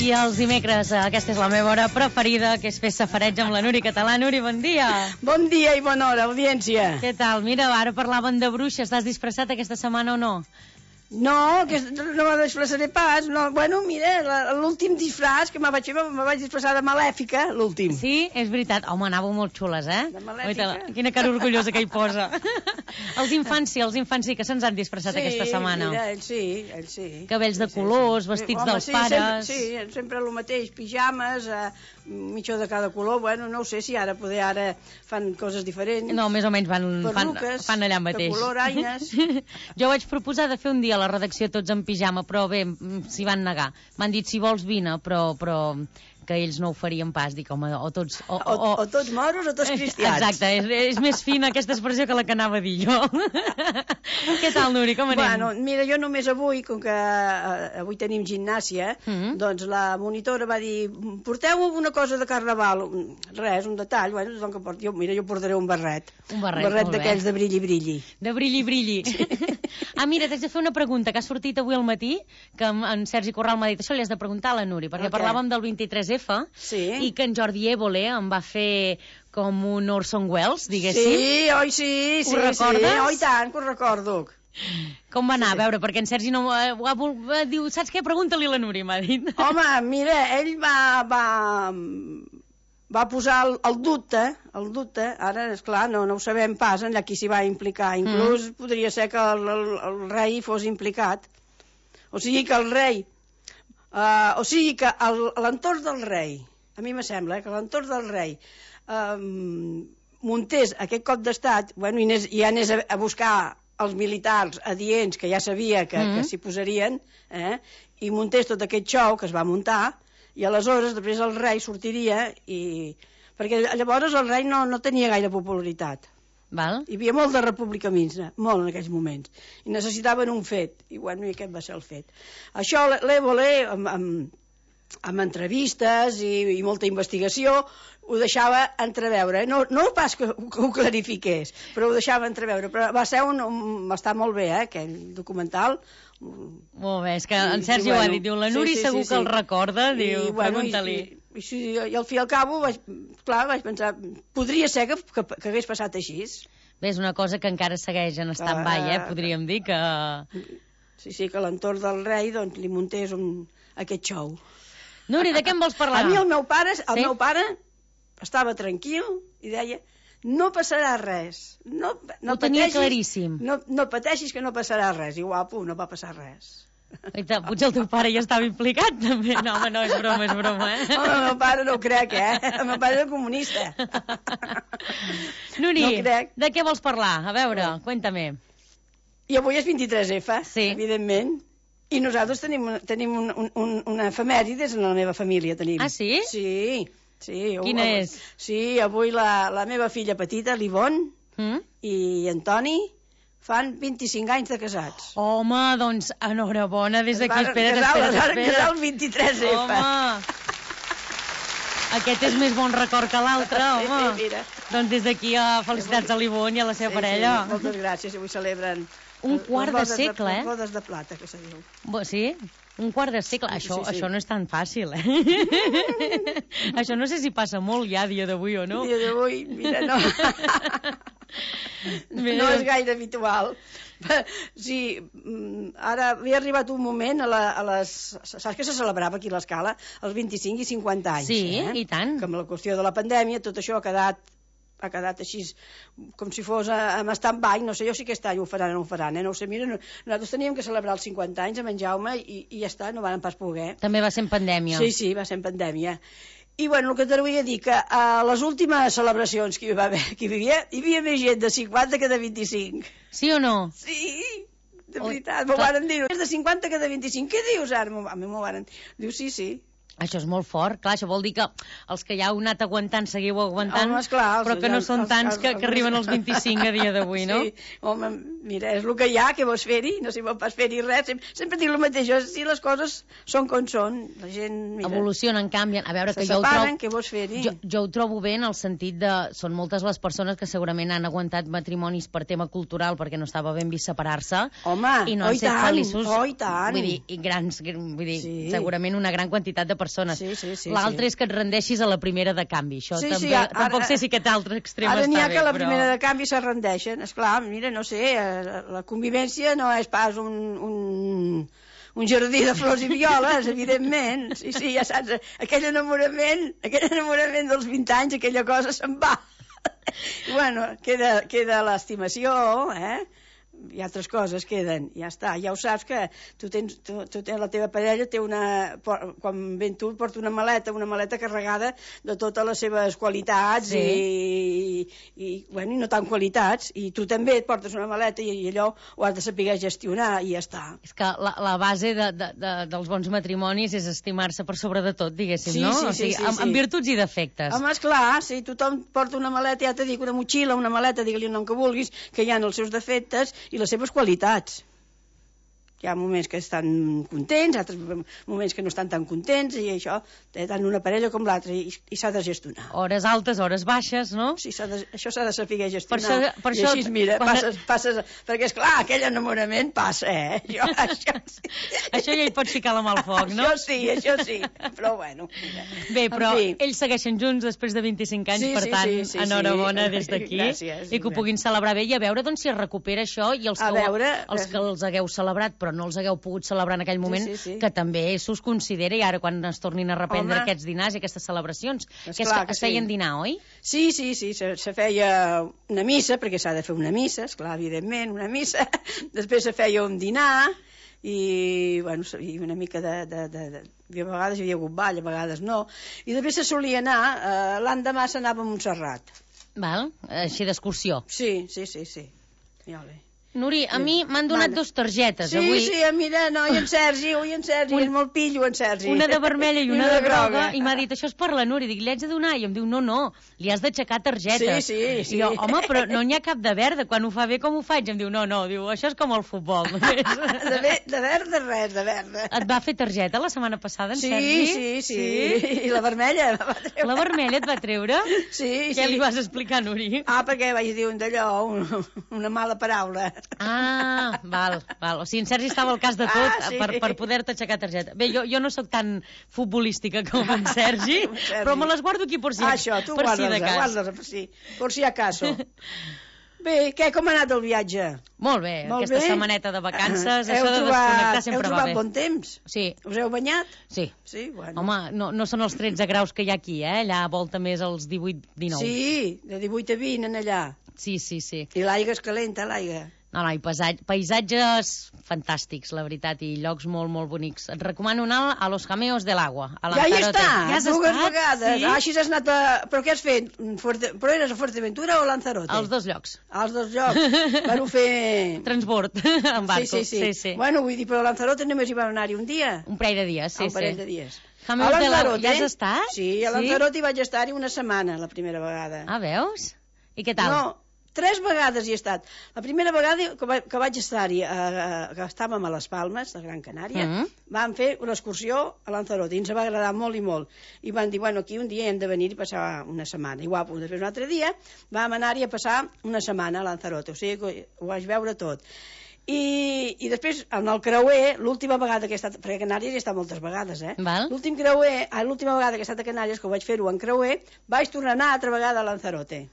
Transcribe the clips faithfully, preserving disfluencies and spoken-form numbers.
I els dimecres, aquesta és la meva hora preferida, que és fer safareig amb la Núria Català. Núria, bon dia. Bon dia i bona hora, audiència. Què tal? Mira, ara parlaven de bruixes. T'has disfressat aquesta setmana o no? No, que no me disfressaré pas. No. Bueno, mira, l'últim disfraç que me vaig fer, me vaig disfressar de malèfica, l'últim. Sí, és veritat. Home, anàveu molt xules, eh? De malèfica. Oita, quina cara orgullosa que hi posa. Els infants sí, els infants sí que se'ns han disfressat sí, aquesta setmana. Sí, mira, ells sí, ells sí. Cabells de sí, colors, sí. vestits Home, dels sí, pares... Sempre, sí, sempre el mateix, pijames, eh, mitjó de cada color. Bueno, no ho sé si ara poder ara fan coses diferents. No, més o menys van, fan, fan allà mateix. De color, aines. Jo vaig proposar de fer un dia a la redacció tots en pijama, però bé, s'hi van negar. M'han dit, si vols vine, però, però que ells no ho farien pas. Dic, home, o tots... O, o, o, o tots moros o tots cristians. Exacte, és, és més fina aquesta expressió que la que anava a dir jo. Què tal, Núria, com anem? Bueno, mira, jo només avui, com que uh, avui tenim gimnàsia, mm -hmm. doncs la monitora va dir, porteu una cosa de carnaval. Res, un detall, bueno, tothom que porti. Jo, mira, jo portaré un barret. Un barret, un barret d'aquells de brilli-brilli. De brilli-brilli. Sí. Ah, mira, t'haig de fer una pregunta que ha sortit avui al matí, que en Sergi Corral m'ha dit, això li has de preguntar a la Núria, perquè okay. parlàvem del vint-i-tres F, sí. i que en Jordi Évole em va fer com un Orson Welles, diguéssim. Sí, oi, sí, sí. Ho recordes? Sí, oi tant, que ho recordo. Com va anar? Sí, sí. A veure, perquè en Sergi no va, va, va, diu, saps què? Pregunta-li a la Núria, m'ha dit. Home, mira, ell va... va... va posar el, el dubte, el dubte, ara, esclar, no, no ho sabem pas, allà qui s'hi va implicar. Inclús mm. podria ser que el, el, el rei fos implicat. O sigui que el rei, uh, o sigui que l'entorn del rei, a mi me sembla eh, que l'entorn del rei um, muntés aquest cop d'estat, bueno, i, anés, i anés a, a buscar els militars adients, que ja sabia que, mm. que s'hi posarien, eh, i muntés tot aquest xou que es va muntar, i aleshores després el rei sortiria i... perquè llavors el rei no, no tenia gaire popularitat. Val. Hi havia molt de republicanisme, molt en aquells moments, i necessitaven un fet, i bueno, i aquest va ser el fet. Això l'Évole, amb, amb, amb entrevistes i, i molta investigació, ho deixava entreveure, eh? no, no pas que, que ho clarifiqués, però ho deixava entreveure, però va ser un, un va estar molt bé, eh, aquell documental. Molt bé, és que en Sergi ho ha dit, diu, la Núria sí, sí, segur sí, sí. que el recorda, diu, bueno, pregunta-li. I, i, i, i al fi i al cabo, vaig, clar, vaig pensar, podria ser que, que, que hagués passat així. Bé, és una cosa que encara segueix en stand-by, eh, podríem dir que... Sí, sí, que l'entorn del rei, doncs, li muntés un, aquest xou. Núria, de què em vols parlar? A mi el meu pare, el sí? meu pare estava tranquil i deia... No passarà res. No, no ho tenia pateixis, claríssim. No, no pateixis que no passarà res. I guapo, no va passar res. Oita, potser el teu pare ja estava implicat, també. No, home, no, és broma, és broma, eh? Home, el meu pare no ho crec, eh? El meu pare era comunista. Núria, no crec. De què vols parlar? A veure, sí. Cuéntame. I avui és vint-i-tres F, sí. evidentment. I nosaltres tenim, tenim un, un, un, una efemèrides en la meva família. Tenim. Ah, sí? Sí. Sí, quina avui, és? Sí, avui la, la meva filla petita, l'Ivonne, mm? i Antoni fan vint-i-cinc anys de casats. Home, doncs, enhorabona, des d'aquí, espera't, espera't, espera't. Es van casar el vint-i-tres F. Home! Aquest és més bon record que l'altre, home. Sí, mira. Doncs des d'aquí, felicitats a l'Ivonne i a la seva sí, parella. Sí, moltes gràcies, avui celebren... Un quart de segle, de, eh? Les bodes de plata, que se diu. Sí? Un quart de segle. Sí, això, sí, sí. això no és tan fàcil, eh? Això no sé si passa molt ja a dia d'avui o no. A dia d'avui, mira, no. No és gaire habitual. Sí, ara havia arribat un moment a, la, a les... Saps que se celebrava aquí a l'Escala? Els vint-i-cinc i cinquanta anys. Sí, eh? i tant. Que amb la qüestió de la pandèmia tot això ha quedat ha quedat així com si fos amb stand-by, no sé jo si aquest any ho faran o no ho faran, eh? No ho sé, mira, no, nosaltres teníem que celebrar els cinquanta anys amb en Jaume i, i ja està, no van pas poder. També va ser en pandèmia. Sí, sí, va ser en pandèmia. I bueno, el que te volia dir, que a les últimes celebracions que hi va haver, que hi havia, hi havia més gent de cinquanta que de vint-i-cinc. Sí o no? Sí, de veritat, m'ho varen dir. És de cinquanta que de vint-i-cinc. Què dius ara? A mi m'ho varen dir. Diu, sí, sí. Això és molt fort, clar, això vol dir que els que ja heu anat aguantant seguiu aguantant, home, esclar, els, però que no els, són tants els, que, els, que arriben als vint-i-cinc a dia d'avui, no? Sí, home, mira, és el que hi ha, què vols fer-hi? No s'hi vol pas fer-hi res, sempre, sempre dic el mateix, si les coses són com són, la gent, mira... Evolucionen, canvien, a veure, que jo ho separen, què vols fer-hi? Jo, jo ho trobo bé en el sentit de... Són moltes les persones que segurament han aguantat matrimonis per tema cultural, perquè no estava ben vist separar-se, home, i no han oh, set tant, feliços, oh, i tant. Vull dir, i grans, vull dir, sí. segurament una gran quantitat de persones. Sí, sí, sí, L'altre sí. és que et rendeixis a la primera de canvi. Això Sí, també, sí, ara, tampoc sé si aquest altre extrem ara està n'hi ha bé, que la però... primera de canvi se rendeixen. Esclar, mira, no sé, eh, la convivència no és pas un, un, un jardí de flors i violes, evidentment. Sí, sí, ja saps, aquell enamorament, aquell enamorament dels vint anys, aquella cosa se'n va. Bueno, queda, queda l'estimació, eh? I altres coses queden, ja està, ja ho saps que tu tens, tu, tu tens la teva parella té una, quan ven tu porta una maleta, una maleta carregada de totes les seves qualitats sí. i, i, bueno, i no tan qualitats, i tu també et portes una maleta i, i allò ho has de saber gestionar i ja està. És que la, la base de, de, de, dels bons matrimonis és estimar-se per sobre de tot, diguéssim, sí, no? Sí, o sigui, sí, sí, amb, sí. amb virtuts i defectes. Home, esclar, si tothom porta una maleta, ja t'he dit, una motxilla, una maleta, digue-li el nom que vulguis, que hi ha els seus defectes i les seves qualitats. Hi ha moments que estan contents, altres moments que no estan tan contents, i això, tant una parella com l'altra, i, i s'ha de gestionar. Hores altes, hores baixes, no? Sí, de, això s'ha de saber gestionar. Per això, per I això, així, mira, quan... passes, passes... Perquè, esclar, aquell enamorament passa, eh? Jo, això sí. Això ja hi pots ficar la mà al foc, no? Això sí, això sí. Però, bueno, mira. Bé, però fi. ells segueixen junts després de vint-i-cinc anys, sí, per sí, tant, sí, sí, enhorabona sí. des d'aquí. Gràcies. I que ho puguin celebrar bé i a veure doncs, si es recupera això i els a que, veure, els que els hagueu celebrat però no els hagueu pogut celebrar en aquell moment, sí, sí, sí. que també s'us considera i ara quan es tornin a reprendre Home. aquests dinars i aquestes celebracions, És que, és clar que que es feien sí. dinar, oi? Sí, sí, sí, se, se feia una missa, perquè s'ha de fer una missa, esclar, evidentment, una missa. Després se feia un dinar i, bueno, i una mica de... de, de, de a vegades hi havia hagut ball, a vegades no. I després se solia anar, eh, l'endemà s'anava a Montserrat. Val? Així d'excursió. Sí, sí, sí, sí. Ja bé. Nuri, a mi m'han donat Mana. dos targetes Sí, avui. sí, mira, no, i en Sergi, ui, en Sergi, Un- és molt pillo, en Sergi. Una de vermella i una de groga, i m'ha dit, això és per la Núria. Dic, li haig de donar? I em diu, no, no, li has d'aixecar targeta. Sí, sí, sí. I jo, home, però no n'hi ha cap de verda. Quan ho fa bé, com ho faig? Em diu, no, no, diu, això és com el futbol. De, ve, de verd, de res, de verd. Et va fer targeta la setmana passada, en Sí, Sergi? sí, sí, sí. I la vermella la va treure. La vermella et va treure? Sí, sí. Què li vas explicar, Nuri? Ah, perquè vaig dir un d'allò, un, una mala paraula. Ah, val, val. O sigui, en Sergi estava al cas de tot Ah, sí. per, per poder-te aixecar targeta. Bé, jo, jo no sóc tan futbolística com en Sergi, Sergi. però me les guardo aquí per si, Ah, això, tu per si de guarda-les, cas. guarda-les, per si, per si acaso. Bé, què, com ha anat el viatge? Molt bé, Molt aquesta bé. setmaneta de vacances, Ah, això de trobat, desconnectar sempre heu va trobat bé. bon temps? Sí, Us heu banyat? sí. Sí, bueno. Home, no, no són els tretze graus que hi ha aquí, eh? Allà volta més els divuit dinou. Sí, de divuit a vint en allà. Sí, sí, sí. I l'aigua és calenta, l'aigua. No, no, i paisatges, paisatges fantàstics, la veritat, i llocs molt, molt bonics. Et recomano anar a Los Jameos del Agua, a Ja hi Lanzarote. està, Ja has dues estat? vegades. Sí? Ah, així has anat a... Però què has fet? Fuerte... Però eres a Fuerteventura o a Lanzarote? Als dos llocs. Als dos llocs. Van fer... Transbord, en barco. Sí, sí, sí, sí, sí. Bueno, vull dir, però a Lanzarote només hi vam anar-hi un dia. Un parell de dies, sí, un parell sí. de dies. Jameos A del Agua, Lanzarote, ja has estat? Sí, a Lanzarote hi vaig estar-hi una setmana, la primera vegada. Ah, veus? I què tal? No, tres vegades hi he estat. La primera vegada que, va, que vaig estar-hi, eh, que estàvem a les Palmes, de Gran Canària, Mm. vam fer una excursió a Lanzarote i ens va agradar molt i molt. I van dir, bueno, aquí un dia hem de venir i passar una setmana. I guapo, després un altre dia vam anar-hi a passar una setmana a Lanzarote, o sigui que ho vaig veure tot. I, i després, en el creuer, l'última vegada que he estat, perquè a Canàries he estat moltes vegades, eh? Val. L'últim creuer, ah, l'última vegada que he estat a Canàries, que ho vaig fer-ho en creuer, vaig tornar a anar altra vegada a Lanzarote.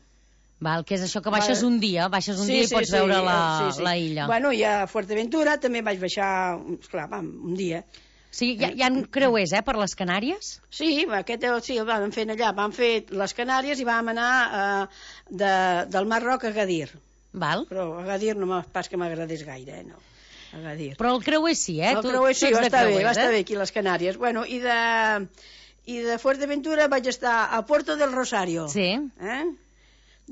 Val, que és això que baixes Val. un dia, baixes un dia i pots veure la, sí, sí. la illa. Bueno, i a Fuerteventura també vaig baixar, esclar, vam, un dia. O sigui, hi ha, hi ha creuers, eh, per les Canàries? Sí, aquest sí, el vam fer allà, vam fer les Canàries i vam anar eh, de, del Marroc a Agadir. Val. Però Agadir no m'ha- pas que m'agradés gaire, eh, no. Agadir. Però el creuer sí, eh? El Tu- creuer sí, tu ets va de estar bé, creuers, va estar eh? bé aquí a les Canàries. Bueno, i de, i de Fuerteventura vaig estar a Puerto del Rosario. Sí. Eh?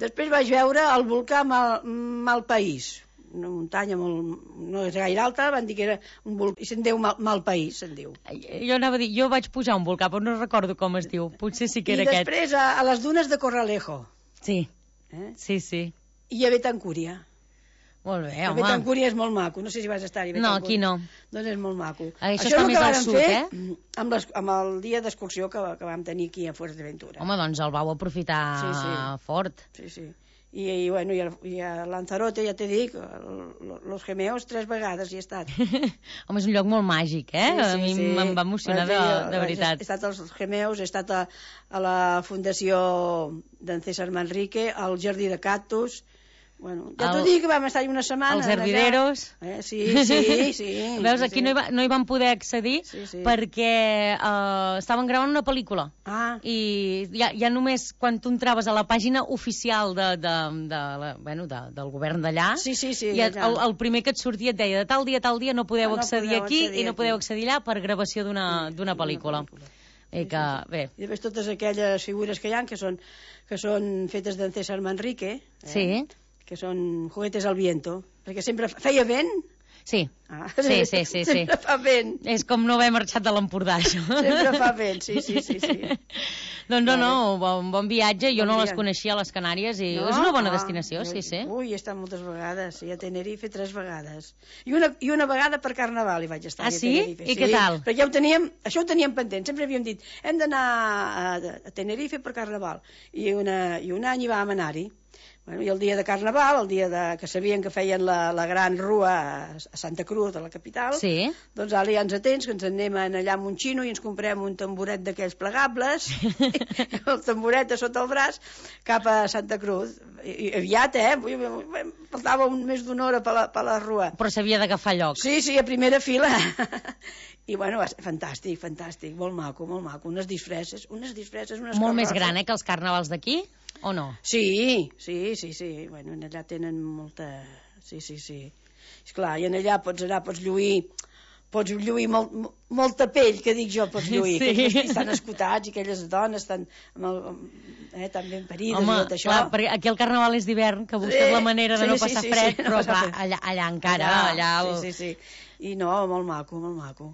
Després vaig veure el volcà Mal, Malpaís, una muntanya molt, no és gaire alta, van dir que era un volcà, i se'n diu Mal, Malpaís, se'n diu. Jo anava a dir, jo vaig pujar a un volcà, però no recordo com es diu. Potser sí que I era aquest. després a, a les dunes de Corralejo, Sí, eh? sí, sí. i a Betancúria. Molt bé, A home. Betancúria és molt maco, no sé si vas estar-hi. No, aquí no. Doncs és molt maco. Això és està el més que al vàrem sud, fer eh? amb, les, amb el dia d'excursió que, que vam tenir aquí a Fuerteventura. Home, doncs el vau aprofitar Sí, sí. fort. Sí, sí. I, i, bueno, i, a, i a Lanzarote, ja t'he dit, los gemeos tres vegades hi he estat. Home, és un lloc molt màgic, eh? Sí, sí, a mi sí. em va emocionar de, de veritat. He estat als gemeos, he estat a, a la fundació d'en César Manrique, al Jardí de Cactus. Bueno, ja t'ho dic, que vam estar una setmana. Els hervideros. Eh, sí, sí, sí. Veus, aquí sí. No, hi va, no hi van poder accedir sí, sí. perquè uh, estaven gravant una pel·lícula. Ah. I ja, ja només quan tu entraves a la pàgina oficial de, de, de, la, bueno, de, del govern d'allà, sí, sí, sí, ja, el, el primer que et sortia et deia de tal dia, tal dia no podeu ah, no accedir podeu aquí accedir i no aquí. podeu accedir allà per gravació d'una sí, pel·lícula. pel·lícula. I que, bé. I després totes aquelles figures que hi ha, que són, que són fetes d'en César Manrique, eh? Sí. Que són juguetes al viento, perquè sempre feia vent. Sí, ah, sí, sí, sí, sempre sí. fa vent. És com no haver marxat de l'Empordà, això. Sempre fa vent, sí, sí, sí. sí. Doncs no, no, bon, bon viatge. Jo bon no viatge. les coneixia, les Canàries, i no? és una bona ah, destinació, sí, sí. Ui, he estat moltes vegades, sí, a Tenerife tres vegades. I una, i una vegada per Carnaval hi vaig estar. Ah, sí? A Tenerife. I sí, què tal? Perquè ja ho teníem, això ho teníem pendent, sempre havíem dit, hem d'anar a, a Tenerife per Carnaval. I, una, i un any hi vam anar-hi. Bueno, i el dia de Carnaval, el dia de, que sabien que feien la, la gran rua a Santa Cruz, a la capital, sí. Doncs ara ja ens atents, que ens anem allà amb un xino i ens comprem un tamboret d'aquells plegables, el tamboret a sota el braç, cap a Santa Cruz. I, i aviat, eh? Faltava un, més d'una hora per la, per la rua. Però s'havia d'agafar lloc. Sí, sí, a primera fila. I bueno, va ser fantàstic, fantàstic, molt maco, molt maco. Unes disfresses, unes disfresses, unes Molt més carrosses. gran, eh, que els carnavals d'aquí, o no? Sí, sí, sí, sí. Bueno, allà tenen molta... Sí, sí, sí. Esclar, i en allà pots anar, pots lluir, pots lluir molt, molta pell, que dic jo, pots lluir. Sí. Aquells vestits tan escotats i aquelles dones tan, amb el, eh, tan ben parides. Home, i tot això. clar, perquè aquí el carnaval és d'hivern, que busques Sí, la manera de sí, no sí, passar sí, fred, sí, no però passar clar, fred. allà, allà encara, allà... allà... Sí, sí, sí. I no, molt maco, molt maco.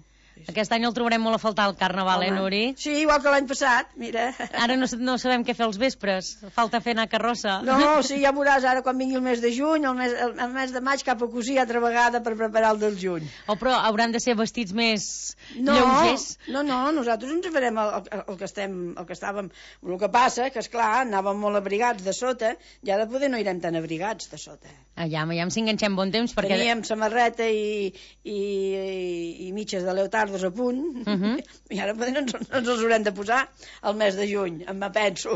Aquest any el trobarem molt a faltar el carnaval, Home. eh, Nuri? Sí, igual que l'any passat, mira. Ara no, no sabem què fer els vespres. Falta fer anar carrossa. No, sí, ja veuràs ara quan vingui el mes de juny, el mes, el, el mes de maig cap a cosir altra vegada per preparar el del juny. O però hauran de ser vestits més no, lleugers. No, no, nosaltres ens farem el, el, el, que estem, el que estàvem... El que passa, que esclar, anàvem molt abrigats de sota, ja de poder no irem tan abrigats de sota. Allà, allà si enganxem bon temps, perquè... Teníem samarreta i, i, i, i mitges de leotardos a punt, uh -huh. i ara poder no ens, no ens els haurem de posar al mes de juny, em penso.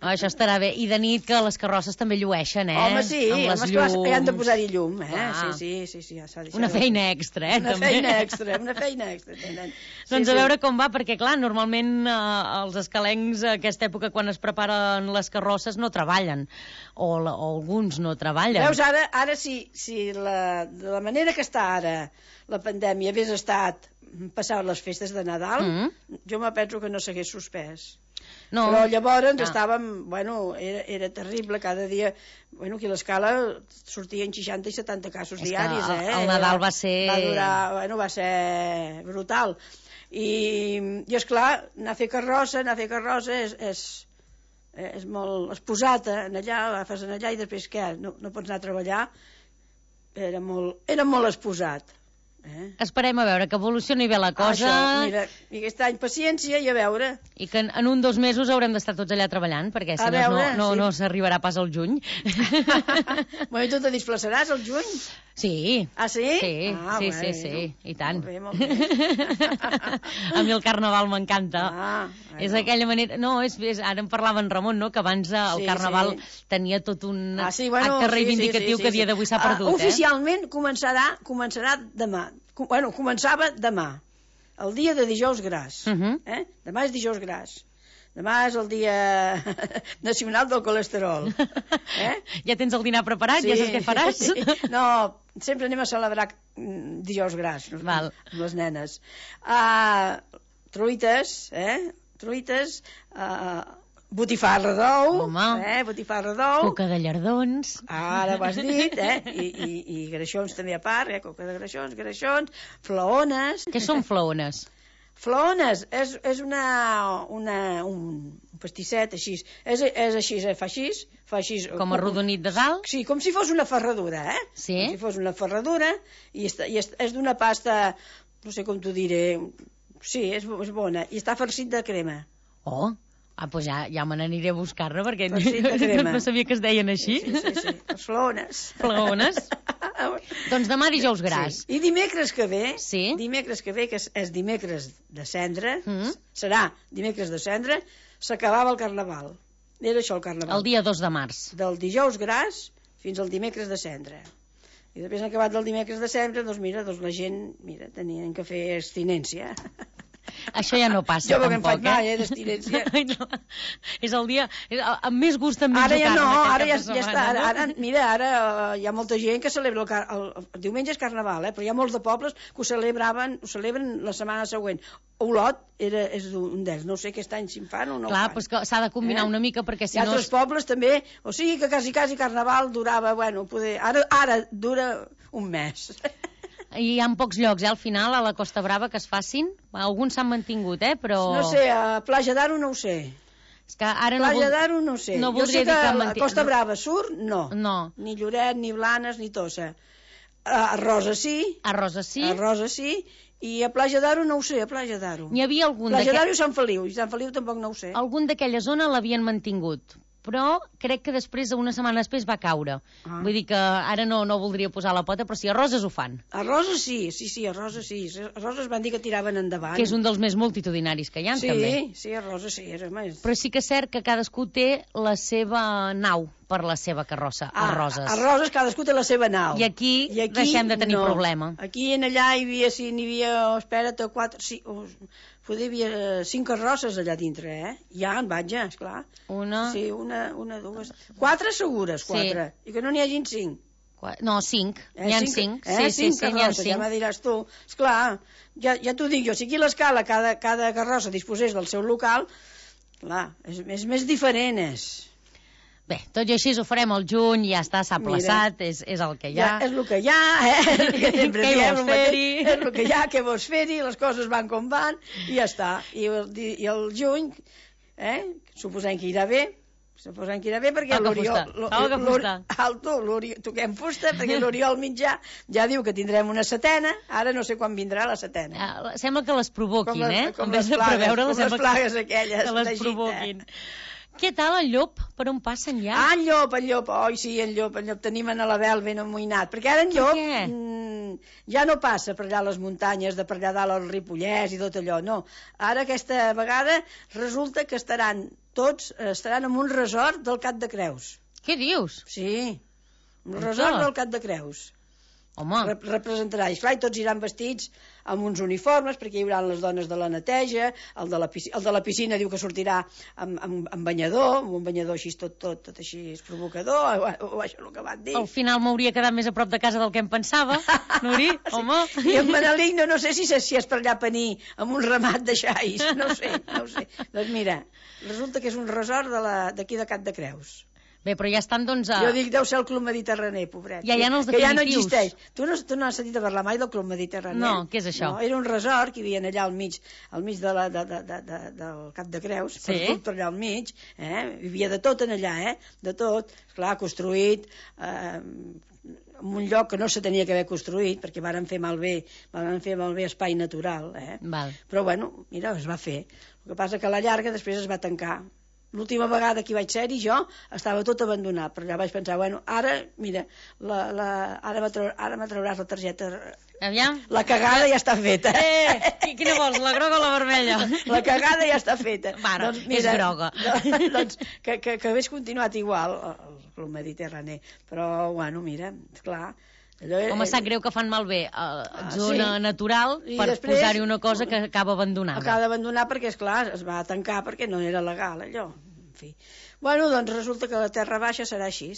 Oh, això estarà bé. I de nit que les carrosses també llueixen, eh? Home, sí, amb les home, esclar, llums. hi han de posar-hi llum, eh? Clar. Sí, sí, sí, sí, ja s'ha Una feina extra, eh? Una també. feina extra, una feina extra. Tenen. Sí, Doncs a sí. veure com va, perquè clar, normalment eh, els escalencs a aquesta època quan es preparen les carrosses no treballen, o, la, o alguns no treballen. Veus, ara, ara si, si la, de la manera que està ara la pandèmia hagués estat passar les festes de Nadal, Mm -hmm. jo me penso que no s'hagués suspès. No. Però llavors Ah. estàvem, bueno, era, era terrible, cada dia, bueno, aquí a l'escala sortien seixanta i setanta casos És que diaris, el- eh? el Nadal va ser- Va durar, bueno, va ser brutal. I, i esclar, anar a fer carrossa, anar a fer carrossa és, és, és molt exposat en allà, agafes en allà i després què? No, no pots anar a treballar. Era molt, era molt exposat. Eh? Esperem a veure que evolucioni bé la cosa. Això, mira, i aquest any paciència i a veure. I que en, en un dos mesos haurem d'estar tots allà treballant, perquè si A no, veure, no, no, sí. no s'arribarà pas al juny. Bueno, i tu te disfressaràs el juny? Sí. Ah, sí? Sí, ah, sí, bueno, sí, sí, i tant. Molt bé, molt bé. A mi el carnaval m'encanta. Ah, bueno. És aquella manera... No, és, és, ara en parlava en Ramon, no?, que abans eh, el Sí, carnaval sí. tenia tot un Ah, sí, bueno, acte sí, reivindicatiu sí, sí, sí, que a dia d'avui s'ha Ah, perdut, eh? Oficialment començarà, començarà demà. Com, bueno, començava demà, el dia de dijous gras. Uh -huh. eh? Demà és dijous gras. Demà és el dia nacional del colesterol. Eh? Ja tens el dinar preparat? Ja saps què faràs? Sí. No, sempre anem a celebrar mm, dijous gras Val. amb les nenes. Uh, truites, eh? Truites, uh, botifarra d'ou, Home. eh? botifarra d'ou, Coca de llardons. ara ho has dit, eh? I, i, i greixons també a part, eh? Coca de greixons, greixons, flaones. Què són flaones? Flaones és, és una, una, un pastisset així, és, és així, eh? fa així, fa així... Com arrodonit de dalt? Sí, com si fos una ferradura, eh? Sí. Com si fos una ferradura, i, està, i és, és d'una pasta, no sé com t'ho diré, sí, és, és bona, i està farcit de crema. Oh, Ah, doncs ja, ja me n'aniré a buscar-ne, perquè Pues sí, que crema. no sabia que es deien així. Sí, sí, sí, els flaones. Flaones. Doncs demà dijous gras. Sí. I dimecres que ve, Sí. dimecres que ve, que és, és dimecres de cendre, Mm. serà dimecres de cendre, s'acabava el carnaval. Era això el carnaval. El dia dos de març. Del dijous gras fins al dimecres de cendre. I després, acabat del dimecres de cendre, doncs mira, doncs la gent, mira, tenien que fer abstinència. Això ja no passa, Jo perquè em tampoc, faig mai, eh, d'abstinència. Ai, no. És el dia... és- Amb més gust em Ara menjo ja carn, no, aquest ara cap ja, de ja està. setmana, Ara, no? ara, mira, ara eh, hi ha molta gent que celebra el, car el, el diumenge és carnaval, eh, però hi ha molts de pobles que ho celebraven, ho celebren la setmana següent. Olot era, és un d'ells, no sé aquest any si en fan o no Clar, ho fan. però és que s'ha de combinar Eh? una mica, perquè si Hi ha no... altres pobles també, o sigui que quasi, quasi carnaval durava, bueno, poder, ara, ara dura un mes. I hi ha pocs llocs, eh, al final, a la Costa Brava, que es facin. Alguns s'han mantingut, eh, però... No sé, a Plaja d'Aro no ho sé. És que ara no, Plaja vol... d'Aro no ho sé. no jo voldria sé que dir que a manté- Costa Brava Sur, no. No. Ni Lloret, ni Blanes, ni Tossa. A Rosa sí, A Rosa sí. a Rosa sí, i a Plaja d'Aro no ho sé, a Plaja d'Aro. N'hi havia algun Plaja d'aquest- d'Aro i Sant Feliu, i Sant Feliu tampoc no ho sé. algun d'aquella zona l'havien mantingut, però crec que després, una setmana després, va caure. Ah. Vull dir que ara no, no voldria posar la pota, però sí, a Roses ho fan, A Rosa sí, sí, sí, a Rosa sí. A Rosa es van dir que tiraven endavant. que és un dels més multitudinaris que hi ha, sí, també. sí, a Rosa sí, era més... Però sí que és cert que cadascú té la seva nau per la seva carrossa, a Roses. A Roses cadascú té la seva nau. I aquí deixem de tenir no. problema. Aquí en allà hi havia, sí, n'hi havia, espera't, quatre, sí, oh, poder hi havia eh, cinc carrosses allà dintre, eh? Ja en vaig, ja, esclar. Una... Sí, una, una, dues... Quatre segures, quatre. Sí. I que no n'hi hagin cinc. Qua- No, cinc. Eh, N'hi ha cinc, cinc. Eh? Sí, sí, cinc sí, n'hi ha carrosses, ja cinc. me diràs tu. Esclar, ja, ja t'ho dic jo, si aquí a l'escala cada, cada carrossa disposés del seu local, clar, és, és més diferent, és... Bé, tot i així ho farem al juny, ja està, s'ha Mira. plaçat, és, és el que hi Ja, ha. és el que hi ha, eh? És el que sempre Què hi diem, vols el mateix. fer-hi? És el que hi ha, què vols fer-hi, les coses van com van, i ja està. I el, i el juny, eh? Suposem que irà bé, suposem que irà bé, perquè Toca l'Oriol... fusta, l'O- toca l'Ori- fusta. Alto, l'Oriol, toquem fusta, perquè l'Oriol Mitjà ja diu que tindrem una setena, ara no sé quan vindrà la setena. Ah, sembla que les provoquin, les, eh? com En les vez de plagues, preveure-les, com les sembla plagues aquelles que les d'Egipte. provoquin. Què tal el llop? Per on passen ja? Ah, en Llop, en Llop, oi, sí, en Llop, en Llop, tenim en Alabel ben amoïnat, perquè ara en Per Llop què? mm, ja no passa per allà a les muntanyes, de per allà dalt al Ripollès i tot allò, no. Ara aquesta vegada resulta que estaran tots, eh, estaran en un resort del Cap de Creus. Què dius? Sí, un On resort tot? del Cap de Creus. Home, Rep representarà, i clar, i tots iran vestits amb uns uniformes, perquè hi haurà les dones de la neteja, el de la piscina, el de la piscina diu que sortirà amb, amb, amb banyador, amb un banyador així tot, tot, tot així és provocador, o, o això és el que van dir. al final m'hauria quedat més a prop de casa del que em pensava, Nuri, home. I en Manelic no, no sé si, si és per allà a Penir, amb un ramat de xais, no ho sé, no ho sé. Doncs mira, resulta que és un resort de la- d'aquí de Cap de Creus. Bé, però ja estan, doncs... A... Jo dic, deu ser el Club Mediterrani, pobret. Ja hi ha els que ja no definitius. existeix. Tu no, tu no has sentit a parlar mai del Club Mediterrani? No, què és això? No, era un resort que hi havia allà al mig, al mig de la, de, de, de, de, del Cap de Creus, Sí. perdut per allà al mig, eh? Hi havia de tot en allà, eh? De tot, clar, construït... Eh, en un lloc que no se tenia que haver construït, perquè varen fer malbé, varen fer malbé espai natural, eh? Val. Però bueno, mira, es va fer. El que passa que a la llarga després es va tancar. L'última vegada que hi vaig ser-hi jo estava tot abandonat, però ja vaig pensar, bueno, ara, mira, la, la, ara, me trau, ara me trauràs la targeta. Aviam. La cagada ja està feta. Eh, qui- quina vols, la groga o la vermella? La cagada ja està feta. Bueno, és groga. Doncs, doncs que, que, que hagués continuat igual el, el Mediterrani. Però, bueno, mira, esclar... Allò, Home, sap greu que fan malbé a Ah, zona sí. natural I per després- posar-hi una cosa que acaba abandonada. Acaba d'abandonar perquè, esclar, es va tancar perquè no era legal, allò. En fi. Bueno, doncs resulta que la Terra Baixa serà així.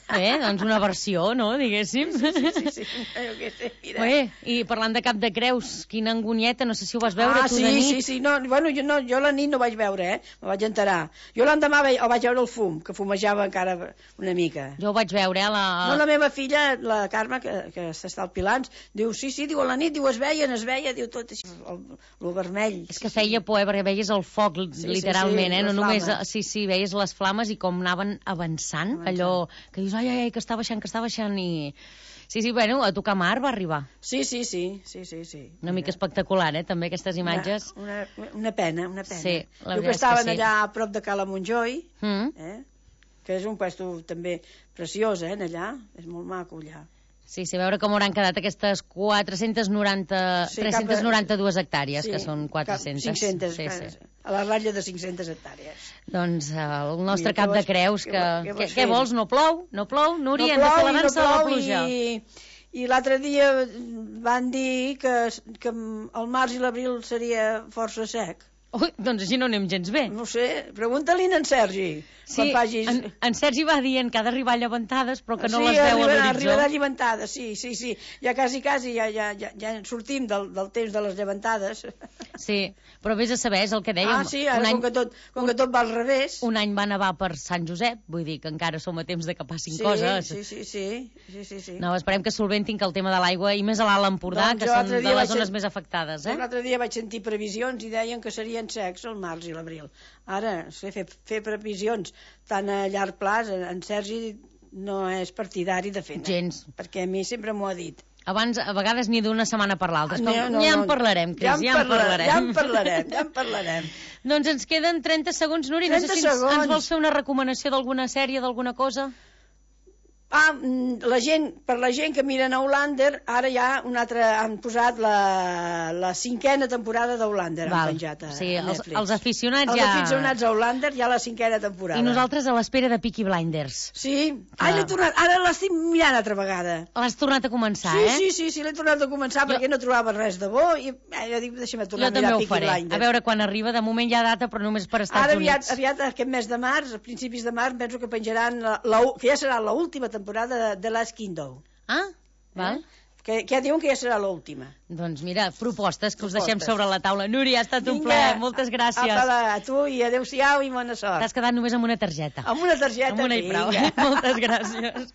Eh, doncs una versió, no?, diguéssim. Sí, sí, sí. Jo què sé, mira. Bé, i parlant de Cap de Creus, quina angonieta, no sé si ho vas veure ah, tu sí, de nit. sí, sí, no, bueno, jo, no, jo la nit no vaig veure, eh? Me vaig enterar. Jo l'endemà ve- el vaig veure el fum, que fumejava encara una mica. Jo ho vaig veure, eh, la... No, la meva filla, la Carme, que, que s'està al Pilans, diu, sí, sí, diu, a la nit, diu, es veien, es veia, diu, tot així, el, el vermell. És que feia por, eh, perquè veies el foc, sí, literalment, sí, eh? No les només, flames. sí, sí, veies les flames i com anaven avançant, Avançant. allò que dius, ai, ai, ai, que està baixant, que està baixant, i... Sí, sí, bueno, a tocar mar va arribar. Sí, sí, sí, sí, sí, sí. Una mica espectacular, eh, també, aquestes imatges. Una, una, una pena, una pena. Sí, la Diu veritat que estaven és que sí. allà a prop de Cala Montjoi, Mm. eh? que és un puesto també preciós, eh, allà. És molt maco, allà. Sí, sí, a veure com hauran quedat aquestes quatre-centes noranta, Sí, tres-centes noranta-dues hectàrees, Sí, que són quatre-centes. cap cinc-centes, sí, sí. a la ratlla de cinc-centes hectàrees. Doncs eh, el nostre Mira, cap què de vols- creus, què que... vo- què Què, vols què fer? vols? No plou? No plou? Núria, no hem de fer plou i no l'avança de la plou pluja. i, i l'altre dia van dir que, que el març i l'abril seria força sec. Ui, doncs així no anem gens bé. No sé, pregunta-li a en Sergi. Sí, quan vagis... en, en Sergi va dient que ha d'arribar a llevantades, però que no sí, les veu a arribarà, l'horitzó. arribarà llevantada, sí, sí, sí. Ja quasi, quasi, ja, ja, ja, ja sortim del, del temps de les llevantades. Sí, però vés a saber, és el que dèiem. Ah, sí, ara un any, com, que tot, com que tot va al revés... un any va nevar per Sant Josep, vull dir que encara som a temps de que passin sí, coses. Sí, sí, sí, sí, sí, sí. No, esperem que solventin que el tema de l'aigua, i més a l'Alt Empordà, Doncs que jo són l'altre de dia les vaig zones sen- més afectades, eh? L'altre dia vaig sentir previsions i deien que serien secs el març i l'abril. Ara, fer, fer previsions tan a llarg plaç, en Sergi no és partidari de fer-ne. Gens. Perquè a mi sempre m'ho ha dit. Abans, a vegades, ni d'una setmana per l'altra. No, No, no, ja en no. parlarem, Cris, Ja en ja en parla- parlarem. ja en parlarem, ja en parlarem. Doncs ens queden trenta segons, Núria. No sé trenta si ens, segons. ens vols fer una recomanació d'alguna sèrie, d'alguna cosa? Ah, mm, la gent, per la gent que miren a Outlander, ara ja un altre, han posat la, la cinquena temporada d'Outlander, han Val. penjat a, Sí, a els, Netflix. els aficionats Els ja... aficionats a Outlander ja la cinquena temporada. I nosaltres a l'espera de Peaky Blinders. Sí, ah, l'he tornat, ara l'estic mirant altra vegada. L'has tornat a començar, Sí, eh? sí, sí, sí, l'he tornat a començar Jo- perquè no trobava res de bo i eh, jo dic, deixa'm tornar Jo a també mirar ho Peaky faré. Blinders. A veure quan arriba. De moment hi ha data, però només per Estats Ara aviat, Units. aviat aquest mes de març, a principis de març, penso que penjaran la, la, que ja serà l'última temporada de, de Last Kingdom. Ah, val. Eh? Que, que ja diuen que ja serà l'última. Doncs mira, propostes que us Propostes. deixem sobre la taula. Núria, ha estat un Vinga, plaer. Moltes gràcies. Apa, a tu i adeu-siau i bona sort. T'has quedat només amb una targeta. Amb una targeta. Amb una i prou. vinga. Moltes gràcies.